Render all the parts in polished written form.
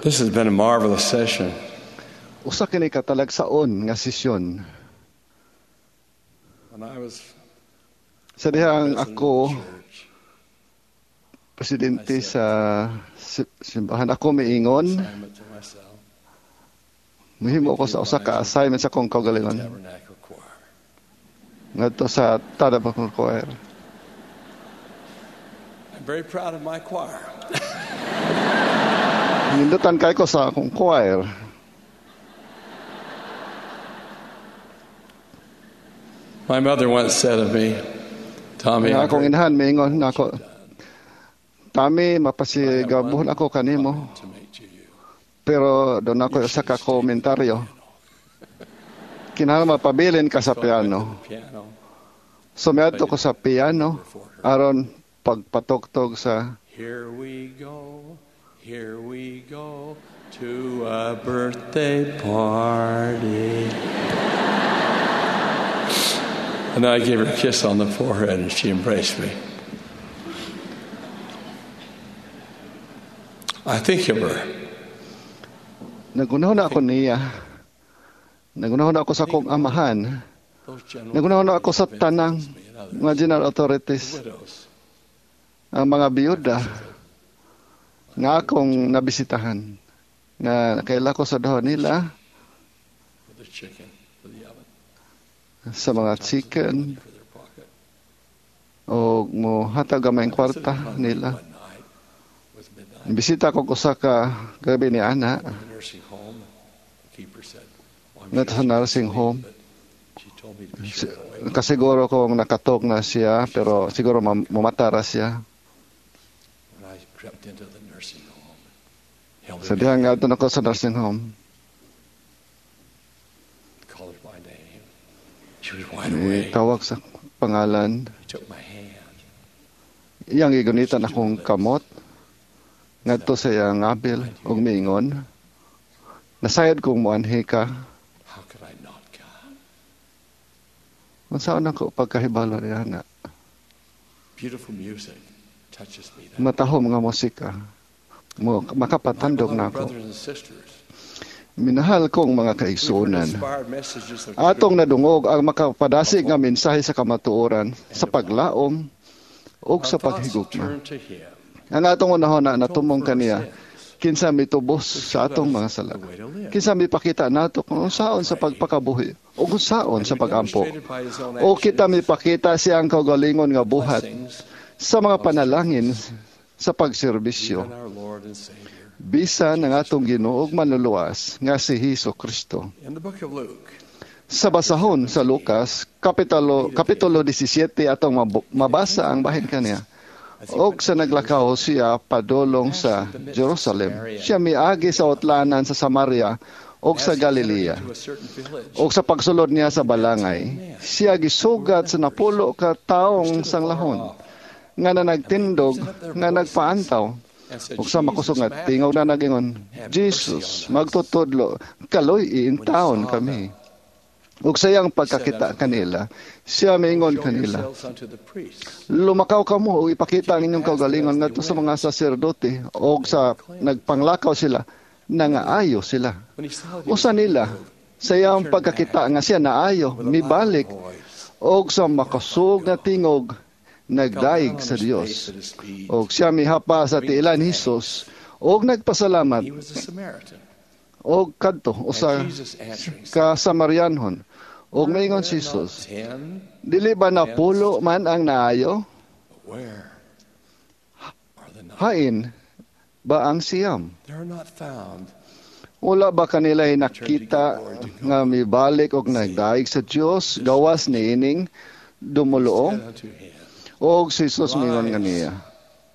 This has been a marvelous session. Usa kini ka talagsaon nga sesyon. When I was Sa dihang ako president of the church, presidente sa simbahan, ako miingon, assignment to myself, mihimo ko sa usa ka assignment sa akong kaugalingon Tabernacle Choir. Ngadto sa Tabernacle Choir. I'm very proud of my choir. Nindutan kay ko sa akong choir. My mother once said of me, "Tommy, Nga I'm akong very inahan miingon nako, "Tami, mapasigabuhon ako kanimo." to make to you. Pero doon ako sa ka komentaryo. Kinahanglan mapabilin ka sa So I went to piano. the piano. So miadto ko sa piano aron pagpatugtog sa Here we go to a birthday party. And I gave her a kiss on the forehead and she embraced me. I think of her. Nagunahon na ako niya. Nagunahon na ako sa akong amahan. Those general Nagunahon na ako sa tanang me and others. Mga general authorities, The widows. Ang mga biyuda nga akong nabisitahan. Nga nakaila ko sa dahon nila With the chicken for the oven. Sa mga chicken For their pocket. O mo hatag gamay ang kwarta nila. One night was midnight. Bisita ko usa ka gabi ni ana In the nursing home, the keeper said, "Well, I'm ngadto sure sa she's nursing asleep, home. but she told me to be sure to wake Kasiguro kung nakatok na siya, pero siguro mamata ra siya. When I crept into the nursing home, held Sa her dihang ngadto na ko sa nursing home. Called her by name. She was wide awake. Tawag sa pangalan. He took my hand. Iyang gigunitan akong kamot ngadto sa iyang abil ug miingon, "Nasayod kong moanhi ka." How could I not come? Unsaon ako pagkahibalo niya na? Beautiful music touches me that Matahom nga musika. Mo My makapatandog beloved na ako. brothers and sisters, Minahal kong mga we've heard kaigsuonan. Inspired messages of Atong nadungog ang makapadasig nga mensahe sa kamatuoran, sa paglaom ug Our sa thoughts paghigugma. turn to Him. Ang atong unahon na natumong For our kaniya, sins, kinsa mitubos who sa showed atong us mga sala. the way to live. Kinsa mipakita nato kung unsaon sa pagpakabuhi ug unsaon And sa who pagampo. demonstrated by His own O kita actions mipakita siyang kaugalingon nga buhat blessings, sa mga panalangin sa pagserbisyo. Even our Lord and Savior. Bisan ang atong Ginoo ug Manluluwas nga si Hesus Kristo. In the book of Luke, Sa basahon sa Lucas, Kapitulo 17, atong mabasa ang bahin kaniya. As he Og went sa to naglakaw siya padulong sa Jerusalem. Siya miagi sa utlanan sa Samaria ug As sa he entered Galilea. into a certain village, Og sa pagsulod niya sa balangay, siya gisugat sa 10 ka taong sanglahon nga nanagtindog nga nagpaantaw. And said, Ug sa makusog "Jesus, nga Master, tingog na nagingon, "Jesus, magtutudlo, kaloy iintawon kami." Ug sa iyang pagkakita kanila, siya miingon show kanila, yourselves unto the priests." "Lumakaw kamo ug ipakita ang inyong kaugalingon ngadto sa mga saserdote." Og sa nagpanglakaw sila, nangaayo sila. When he saw that he Usa was nila, healed, sa iyang pagkakita nga siya naayo, with a loud mibalik voice, og sa makasug nga tingog fell down nagdaig on sa his face Dios. at his feet. Og siya mihapa sa tiilan ni Hesus og nagpasalamat He was a Samaritan. og kadto usa And Jesus answering said, ka Samarianhon. Og "Were maingon si there not Jesus, 10? "Dili ba 10 man ang naayo? But where are the 9? Hain ba ang 9? They are not found." Wala ba kanila nakita nga mibalik og nagdaig sa Dios gawas niining dumuluong?" Said unto him, Og si Jesus mingon kaniya,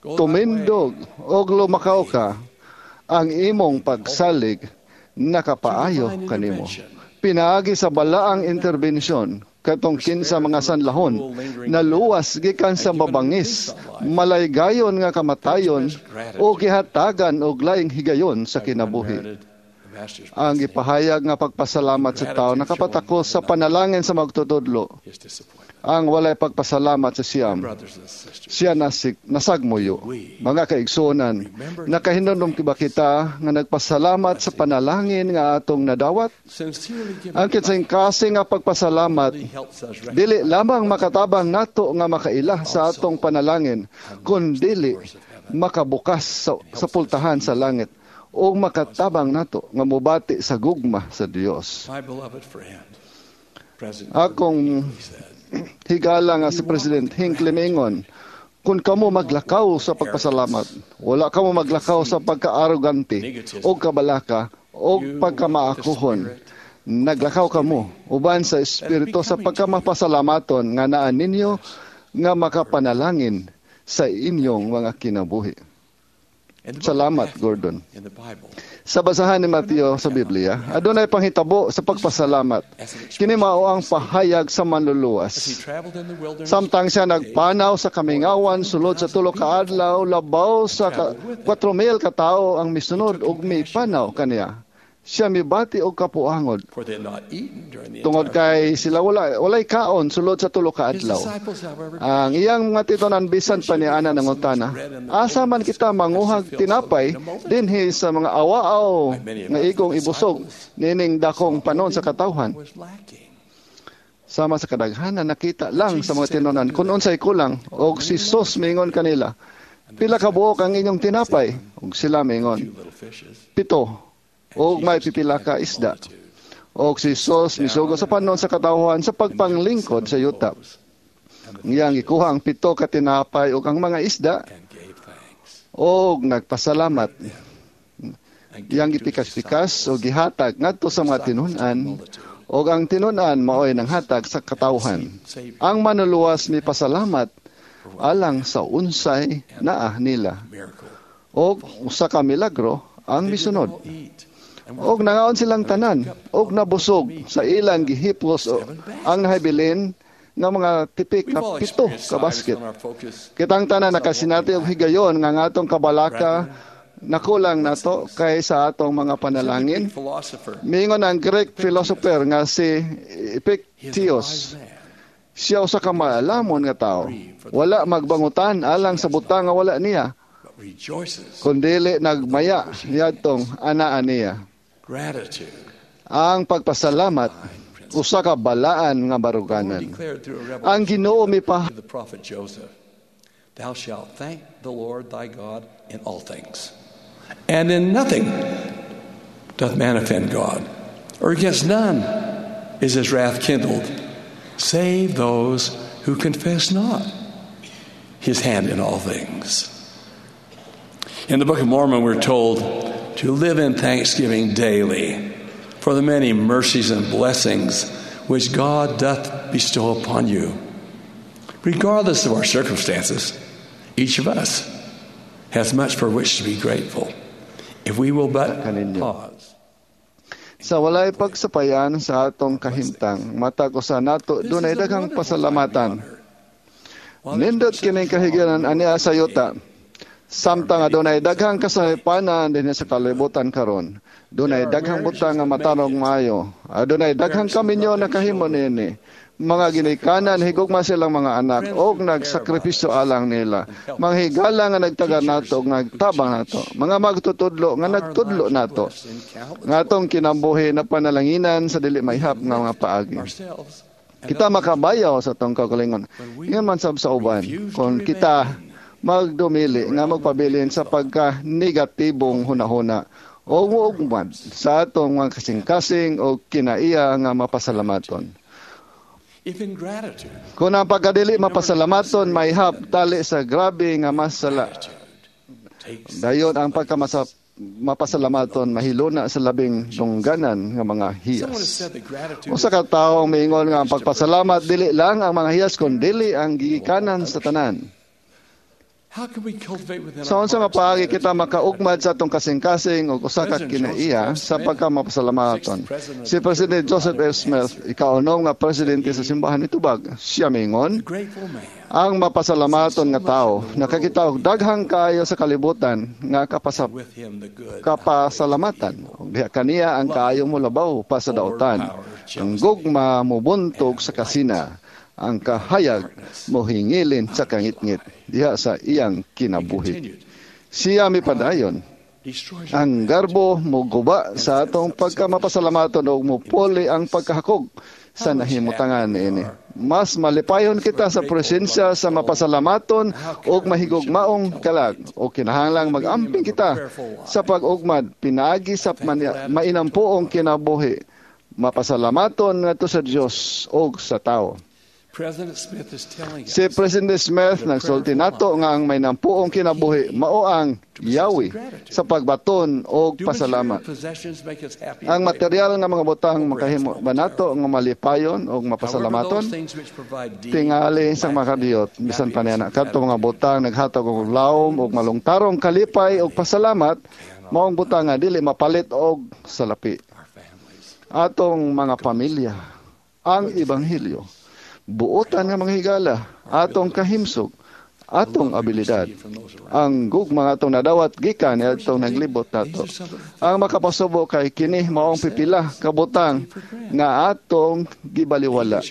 "Go thy way." "Tumindog og lumakaw ka, ang imong pagsalig nakapaayo Divine kanimo." intervention. Pinaagi sa balaang interbensyon katong 15 mga sanlahon naluwas gikan sa mabangis, malaygayon nga kamatayon o gihatagan og laing higayon sa By kinabuhi. unmerited Master's Ang blessing, gipahayag nga pagpasalamat sa tao nakapatakos sa panalangin sa magtutudlo. His disappointment. Ang walay pagpasalamat sa siyam, Brothers and sisters, siya nasagmuyo. Mga kaigsuonan, nakahinumdom ba kita nga nagpasalamat sa panalangin nga atong nadawat? Sincerely giving Ang kasing nga pagpasalamat really helps us dili recognize lamang makatabang nato nga makaila sa atong panalangin, kundili makabukas sa pultahan sa langit o makatabang nato nga mobati sa gugma sa Dios. My beloved friend, President Akong Hinckley said, higala nga si President Hinckley mingon, kung kamo maglakaw sa pagpasalamat, wala kamo maglakaw sa pagkaarogante o kabalaka o pagkamaakuhon. Naglakaw kamo uban sa espiritu sa pagkamapasalamaton nga naa ninyo nga makapanalangin sa inyong mga kinabuhi. In the book of Salamat, Matthew, Gordon. in the Bible, Sa basahan ni Mateo sa Biblia, adunay panghitabo sa pagpasalamat. Kini mao ang pahayag sa as he manluluwas. Traveled in the wilderness, Samtang siya nagpanaw sa kamingawan sulod sa 3 ka adlaw, labaw sa 4,000 ka tawo ang misunod ug mipanaw kaniya. Siya mibati og kapuangod for they had not eaten during the tungod entire kay sila walay kaon sulod sa 3 ka His adlaw. Disciples, however, Ang iyang mga titunan bisan pa ni ana nangutana, asa man kita manguhag tinapay dinhi sa mga awaaw nga igong ibusog nining dakong panon sa katawhan? Was lacking. Sama sa kadaghanan, nakita lang sa mga tinunan kung unsay kulang, og si Jesus mingon kanila, "Pila ka buok ang inyong tinapay?" Ug sila mingon, Two little fishes. "Pito og may pipila ka isda." Og si Jesus misugo sa panon sa katawhan sa pagpanglingkod sa yuta. Iyang gikuha ang 7 ka tinapay ug ang mga isda And gave thanks. og nagpasalamat. And Iyang gave to his gipikas-pikas disciples. og gihatag ngadto sa mga tinun-an, og ang tinun-an maoy nanghatag sa katawhan. Ang manluluwas mipasalamat alang sa unsay naa nila. Miracle. Og usa ka milagro ang They did misunod. all eat and were Og nangaon silang tanan og nabusog sa ilang gihipos ang nahibilin nga mga tipik We've na all 7 experienced ka times basket. when our focus Kitang tanan nakasinati og higayon nga ang atong kabalaka nakulang nato kay sa atong mga panalangin. Greek philosopher, Mingon ang Greek philosopher nga si he is a Epictetus, wise man. siya usa ka maalamon nga tao. Wala magbangutan alang sa butang nga wala niya, But rejoices. kundili nagmaya niadtong anaa niya. Gratitude. Ang pagpasalamat usa ka balaan nga The Lord baruganan. declared through a Ang revelation Ginoo mipa to the prophet Joseph, "Thou shalt thank the Lord thy God in all things. And in nothing doth man offend God, or against none is his wrath kindled, save those who confess not his hand in all things." In the Book of Mormon, we're told to live in thanksgiving daily for the many mercies and blessings which God doth bestow upon you. Regardless of our circumstances, each of us has much for which to be grateful if we will but Kaninyo. Pause. Sa walay pagsapayan sa atong kahimtang, matag usa nato This dunay is a daghang wonderful time to be pasalamatan. on earth. While there's Nindot no kining such kahigayonan wrong ania sa yuta. Samtang adunay many daghang kasaypanan dinhi sa kalibutan karon. Dunay daghang butang nga matarong maayo. Adunay daghang kaminyo nakahimo niini. Mga ginikanan higugma silang mga anak og nagsakripisyo alang nila. Mga higala nga nagtaga nato og nagtabang nato. Mga magtutudlo nga Our nagtudlo lives are nato. blessed in countless Nga atong kinabuhi na panalanginan sa dili mahihap nga mga paagi. Ourselves and Kita others. makabayaw sa atong kaugalingon. Ingon man sab sa uban, kung kita magdumili nga magpabilin sa pagka negatibong hunahuna o muugmad sa atong mga kasing-kasing o kinaiya nga mapasalamaton. If in gratitude, Kung ang pagkadili mapasalamaton, mahihap tali sa grabe nga masala. Gratitude takes Dayon ang pagkamasa mapasalamaton mahiluna sa labing dungganan nga mga Someone has hiyas. Said that gratitude Usa ka tawo ang miingon nga ang pagpasalamat dili lang ang mga hiyas kundili ang gigikanan sa tanan. Sa unsa nga paagi kita makaugmad sa atong kasing-kasing og usa ka kinaiya sa pagkamapasalamaton? Si President Joseph F. Smith, ikaunom nga presidente sa simbahan, mitubag. Siya mingon, ang mapasalamaton nga tao nakakita og daghang kaayo sa kalibutan nga kapasalamatan. Ug diha kaniya ang kaayo molabaw pa sa dautan. Ang gugma mobuntog sa kasina, ang kahayag mohingilin sa kangitngit diha sa iyang kinabuhi. Siya mipadayon, ang garbo moguba sa atong pagkamapasalamaton ug mopuli ang pagkahakog sa nahimutangan niini. Mas malipayon kita sa presensya sa mapasalamaton ug mahigugmaong kalag, o kinahanglang mag-amping kita sa pag-ugmad pinaagi sa mainampuong kinabuhi. Mapasalamaton ngadto sa Dios ug sa tawo. Si President Smith nagsulti nato nga ang may nampuong kinabuhi mao ang yawi sa pagbaton og pasalamat. Ang material nga mga butang makahimo ba nato nga malipayon og mapasalamaton? Tingali sa makadiyot bisan pa niya kadto mga butang naghatag og lawom og malungtarong kalipay og pasalamat, maong butang nga dili mapalit og salapi. Atong mga pamilya, ang ebanghelyo, buotan nga mga higala, atong kahimsog, atong abilidad, ang gugma atong nadawat gikan atong naglibot nato. Ang makapasubo kay kini maong pipila kabutang nga atong gibaliwala.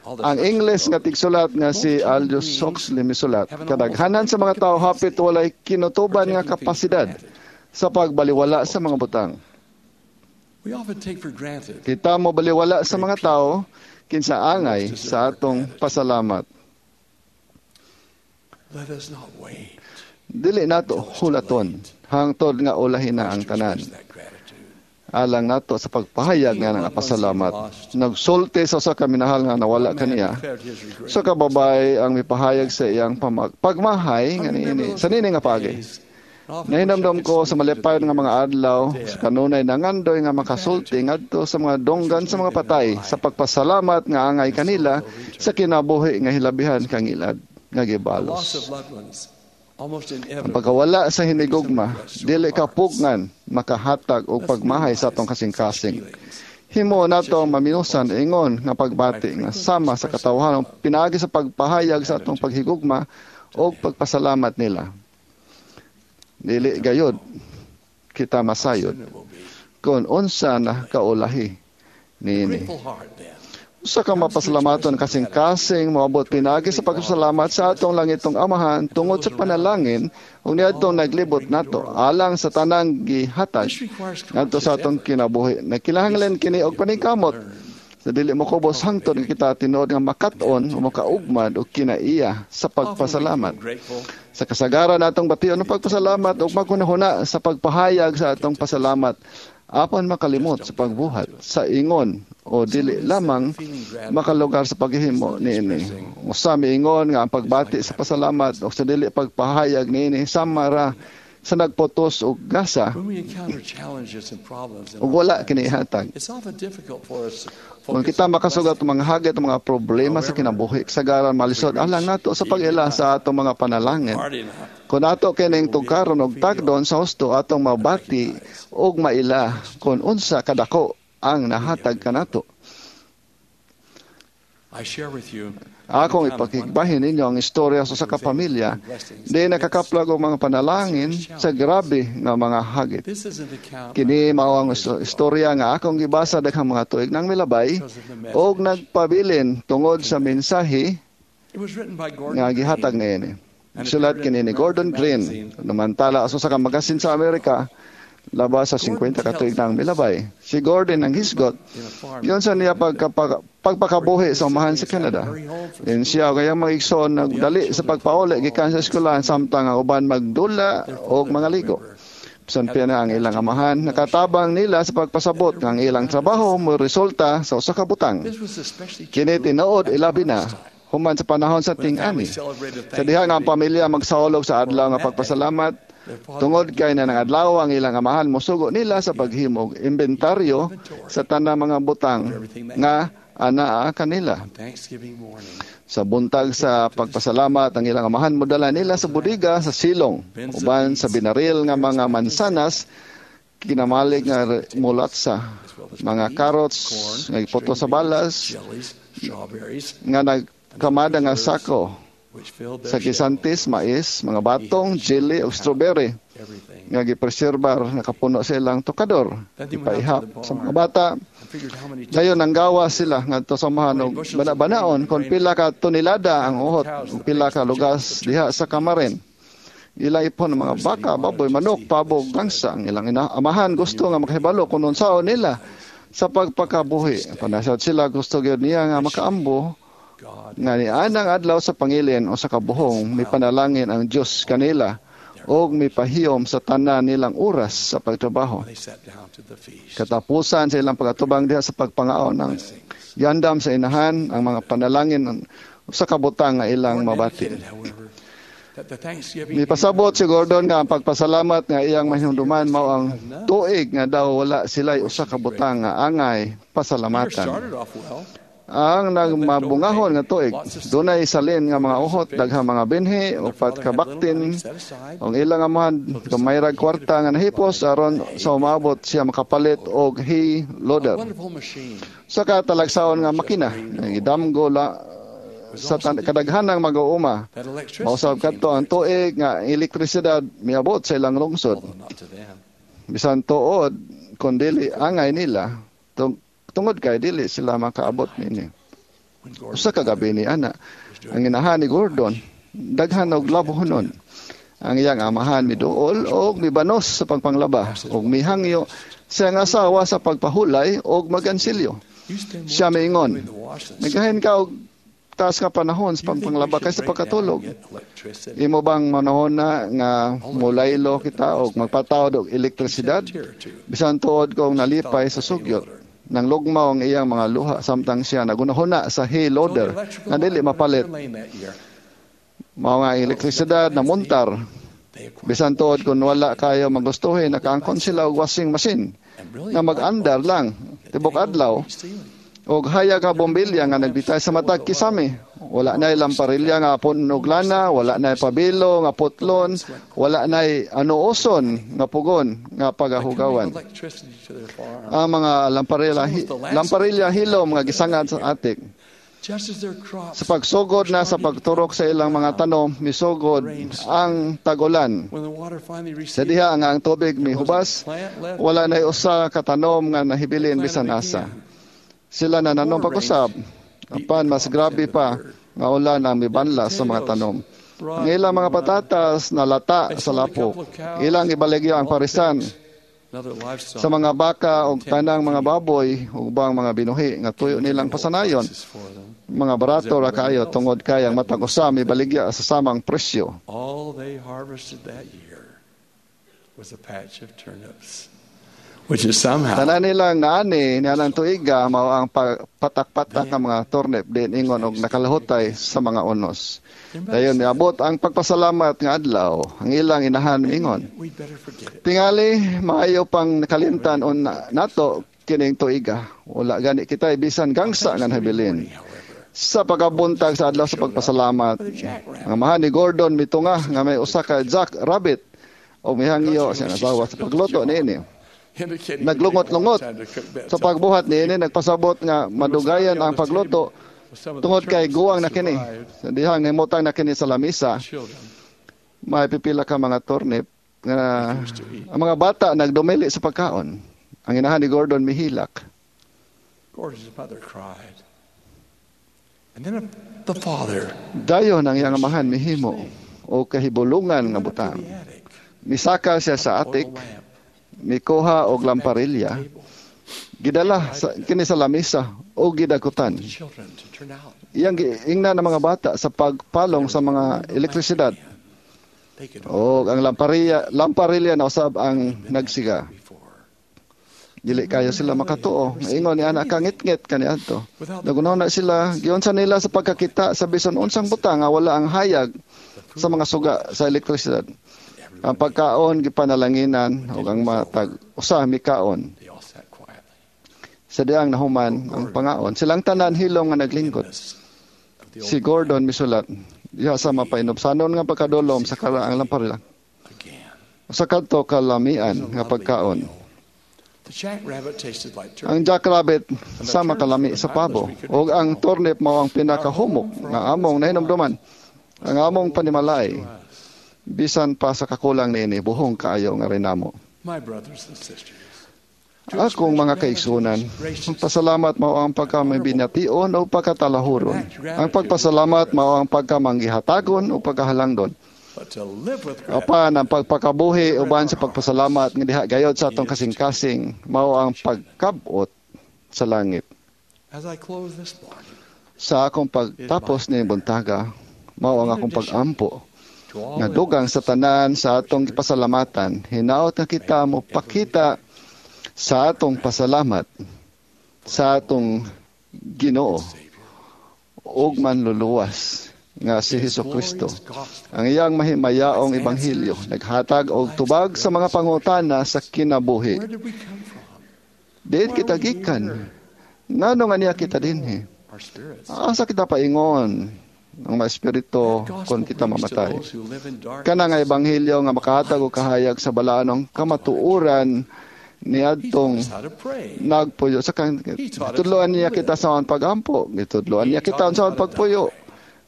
Ang English nga tigsulat nga si Aldous Huxley misulat, kadaghanan sa mga tao hapit walay kinutuban nga kapasidad sa pagbaliwala sa mga butang. Kita mo baliwala sa mga tao kinsa angay sa atong pasalamat. Dili nato hulaton hangtod nga ulahin na ang tanan. Alang nato sa pagpahayag nga nga pasalamat. Nagsulti sa usa ka minahal nga nawala kaniya. Sa kababae ang mipahayag sa iyang pagmahay nga niini sa niini nga paagi. Nahinamdam ko sa malipayon nga mga adlaw sa kanunay nangandoy nga makasulti ngadto sa mga donggan sa mga patay sa pagpasalamat nga angay kanila sa kinabuhi nga hilabihan kang ilad nga gibalos. Ang pagkawala sa hinigugma dili kapugngan makahatag og pagmahay sa atong kasing-kasing. Himo nato ang maminusan ingon nga pagbati nga sama sa katawhan pinaagi sa pagpahayag sa atong paghigugma og pagpasalamat nila. Dili gayod kita masayod kung unsa na kaulahi niini. Usa ka mapasalamaton kasing-kasing moabot pinaagi sa pagpasalamat sa atong langitong Amahan tungod sa panalangin ug niadtong naglibot nato alang sa tanang gihatag ngadto sa atong kinabuhi. Nagkinahanglan kini og paningkamot sa dili mokubos hangtod nga kita tinuod nga makat-on o makaugmad og kinaiya sa pagpasalamat. Sa kasagaran atong bation ang pagpasalamat ug maghunahuna sa pagpahayag sa atong pasalamat apan makalimot sa pagbuhat sa ingon o dili lamang makalugar sa paghihimo niini. Usa miingon nga ang pagbati sa pasalamat o sa dili pagpahayag niini sama ra sa nagpotos og gasa ug wala kini ihatag. Kung kita makasugat mga hagit mga problema sa kinabuhi, kasagaran malisod alang nato sa pag-ila sa atong mga panalangin. Kung ato kining tugkaron og tagdon sa husto, atong mabati og maila kung unsa kadako ang nahatag kanato. Akong ipakigbahin ninyo ang istorya sa usa ka pamilya di nakakaplag og mga panalangin sa grabe nga mga hagit. Kini mao ang istorya nga akong gibasa daghang mga tuig nang milabay og nagpabilin tungod sa mensahe nga gihatag niini. Sulat kini ni Gordon Green, namantala sa usa ka magasin sa Amerika, labas sa 50 ka tuig nang milabay. Si Gordon ang hisgot, yon sa niya pagpakabuhi sa umahan sa Canada. Then siya kaya mga igsoon nagdali sa pagpauli gikan sa eskwelahan samtang ang uban magdula og mga ligo. Bisan pa na ang ilang amahan nakatabang nila sa pagpasabot nga ang ilang trabaho mo resulta sa usa ka butang. Kini tinuod ilabi na human sa panahon sa ting-ani. Sa diha nga ang pamilya magsaulog sa adlaw nga pagpasalamat tungod kay na ng adlaw ang ilang amahan mosugo nila sa paghimog inventaryo sa tanang mga butang nga anaa kanila. Sa buntag sa pagpasalamat, ang ilang amahan modala nila sa bodega sa silong, uban sa binaril nga mga mansanas, kinamalig nga mulatsa, mga carrots nga gipoto sa balas, nga nagkamada nga sako, sa gisantis, mais, mga batong, jelly o strawberry nga gipreserbar, nakapuno sa ilang tokador, ipaihap sa mga bata. Dayon ang gawa sila ngadto sa amahan og bana-banaon kon pila ka tonelada ang uhot ug pila ka lugas diha sa kamarin. Ilang ipon ng mga baka, baboy, manok, pabo, gangsa. Ang ilang amahan gusto nga makahibalo kung unsaon nila sa pagpakabuhi. Panasad sila gusto gyud niya nga makaambo nga nianang adlaw sa pangilin o sa kabuhong mipanalangin ang Dios kanila og mipahiyom sa tanan nilang oras sa pagtrabaho. Katapusan sa ilang pagatubang diha sa pagpangaon ng yandam sa inahan ang mga panalangin sa kabutang nga ilang mabati. Mipasabot si Gordon nga ang pagpasalamat nga iyang mahinumduman mao ang tuig nga daw wala sila'y usa ka butang nga angay pasalamatan. Ang nagmabungahon nga tuig, dunay salin nga mga uhot, daghang mga binhi, upat ka baktin, ang ilang amahan gamay rag kwarta nga nahipos aron sa umabot siya makapalit og hay loader. Sa katalagsaon nga makina, gidamgo la sa kadaghanang mag-uuma. Mausab kadto ang tuig nga elektrisidad miabot sa ilang lungsod. Bisan tuod kon dili angay nila, tungod kay dili sila makaabot nini. Usa ka gabi ni ana, ang inahan ni Gordon daghan og labhonon. Ang iyang amahan miduol og mibanos sa pagpanglaba og mihangyo sa iyang asawa sa pagpahulay og magansilyo. Siya miingon, "Nagahin ka og taas nga panahon sa pagpanglaba kaysa pagkatulog. Imo bang manahon na nga mulaylo kita og magpatawd og elektrisidad? Bisan tuod kong nalipay sa sugyot." Nang lugmaw ang iyang mga luha samtang siya nagunahuna sa hay loader nga dili mapalit. Mao nga elektrisidad na muntar. Bisan tuod kung wala kayo magustuhin, nakaangkon sila og washing machine nga mag-andar lang tibok adlaw og hayag nga bombilya nga nagbitay sa matag kisame. Wala na lamparilya nga punog lana, wala na pabilo nga putlon, wala na anuoson nga pugon nga pagahugawan. Ang mga lamparilya hilom nga gisangad sa atik. Sa pagsugod na sa pagturok sa ilang mga tanom, misugod ang tagulan. Sa diha nga ang tubig mihubas, wala na usa ka tanom nga nahibilin bisan asa. Sila nananom pag-usab, apan mas grabe pa nga ulan ang mibanla sa mga tanom. Ang ilang mga patatas nalata sa lapok. Ilang ibaligya ang parisan sa mga baka o tanang mga baboy ug ubang mga binuhi nga tuyo nilang pasanayon. Mga barato ra kaayo tungod kay ang matag usa mibaligya sa samang presyo. All they harvested that year was a patch of turnips, which is somehow tanan nilang naani nianang tuiga mao ang patak-patak nga mga turnip din ingon og nakalahutay sa mga unos. Dayon miabot ang pagpasalamat nga adlaw, ang ilang inahan miingon, "Tingali maayo pang nakalimtan on nato kining tuiga. Wala gani kita bisan gangsa nga nabilin." Sa pagkabuntag sa adlaw sa pagpasalamat, ang amahan ni Gordon mitunga nga may usa ka jack rabbit o mihangyo sa asawa sa pagluto niini. Naglungot-lungot sa pagbuhat niini, nagpasabot nga madugayan ang pagluto tungod kay guwang na kini. Sa dihang himutang na kini sa lamisa, may pipila ka mga turnip nga ang mga bata nagdumili sa pagkaon. Ang inahan ni Gordon mihilak. Gordon's mother cried. And then the father, Dayon ang iyang amahan mihimo o kahibulungan nga butang. Misaka siya sa atik, mikuha og lamparilya, gidala kini sa lamisa o gidakutan. Iyang ingna ng mga bata sa pagpalong sa mga elektrisidad. O ang lamparilya na usab ang nagsiga. Dili kayo sila makatuo. Ingon ni anak kangitngit kaniadto. Nagunaw na sila, giunsa nila sa pagkakita sa bisan unsang butang nga wala ang hayag sa mga suga sa elektrisidad. Ang pagkaon gipanalanginan ug ang matag usa mikaon. Sa diang nahuman ang pangaon, silang tanan hilom nga naglingkod. Si Gordon misulat, diha sa mapainubsanon nga pagkadulom sa karaang lamparila. Sa kadto kalamian nga pagkaon. Ang jackrabbit sama kalami sa pabo, ug ang turnip mao ang pinakahumok nga among nahinumduman. Ang among panimalay, bisan pa sa kakulang niini, buhong kaayo nga rinamo. Akong mga kaigsunan, ang pasalamat mao ang pagkamabination o pagkatalahuron. Ang pagpasalamat mao ang pagkamanggihatagon o pagkahalangdon. Apan ang pagpakabuhi uban sa pagpasalamat nga diha gayod sa atong kasing-kasing mao ang pagkabot sa langit. Sa akong pagtapos ni buntaga, mao ang akong pag-ampo nga dugang sa tanan sa atong pasalamatan, hinaot nga kita mo pakita sa atong pasalamat sa atong Ginoo ug manluluwas nga si Hesus Kristo. Ang iyang mahimayaong ebanghelyo naghatag og tubag sa mga pangutana sa kinabuhi. Diin kita gikan? Ngano nga niya kita dinhi? Asa kita paingon ang mga espiritu kung kita mamatay? Kana nga ebanghelyo nga makahatag og kahayag sa balaanong kamatuoran niadtong nagpuyo sa gitudloan niya kita sa pag-ampo, gitudloan niya kita unsaon pagpuyo,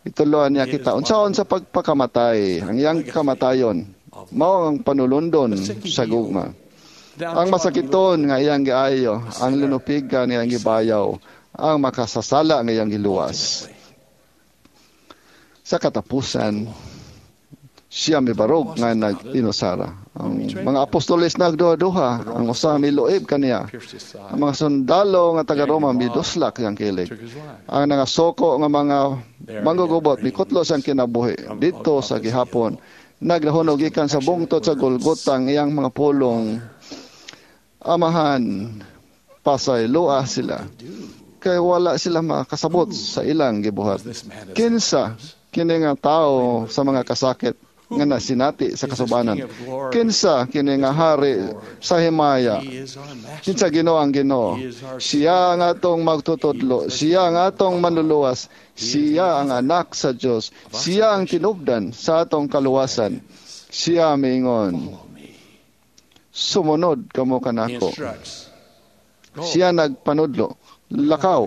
gitudloan niya kita unsaon sa pagpakamatay. Ang iyang kamatayon mao ang panulundon sa gugma. Ang masakiton nga iyang giayo, ang lunupigan nga iyang gibayaw, ang makasasala nga iyang giluwas. Sa katapusan, siya mibarog nga nag-inusara. Ang mga apostoles nagduha-duha, ang usa miluib kaniya. Ang mga sundalo nga taga Roma miduslak siyang kilig. Ang nangasoko nga mga manggugubot mikutlo siyang kinabuhi. Dito sa gihapon, naglahunog gikan sa bungtod sa Golgota ang iyang mga pulong, Amahan, pasayloa sila. Kay wala sila makasabot sa ilang gibuhat. Kinsa kini nga tao sa mga kasakit nga nasinati sa kasubanan? Kinsa kini nga hari sa himaya? Kinsa Ginoo ang Ginoo? Siya ang atong magtutudlo, siya ang atong manluluwas, siya ang anak sa Dios, siya ang tinubdan sa atong kaluwasan. Siya miingon, sumunod kamo kanako. Siya nagpanudlo, lakaw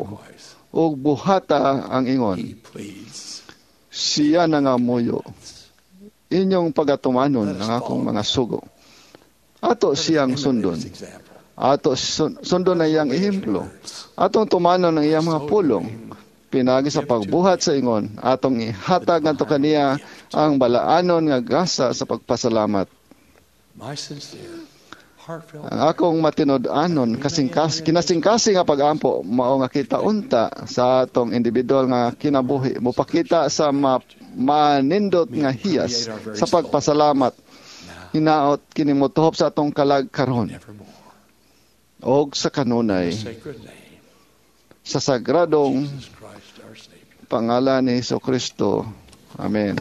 ug buhata ang ingon. Siya nangamuyo, inyong pagatumanon ang akong mga sugo. Ato siyang sundon. Ato sundon ang iyang ehemplo. Atong tumanon ang iyang mga pulong. Pinagi sa pagbuhat sa ingon, atong ihatag ngadto kaniya ang balaanon nga gasa sa pagpasalamat. Ang akong matinud-anon kinasingkasing nga pag-ampo mao nga kita unta sa atong individual nga kinabuhi mopakita sa manindot nga hiyas sa pagpasalamat. Hinaot kini motuhop sa atong kalag karon og sa kanunay sa sagradong pangalan ni Jesucristo. Amen.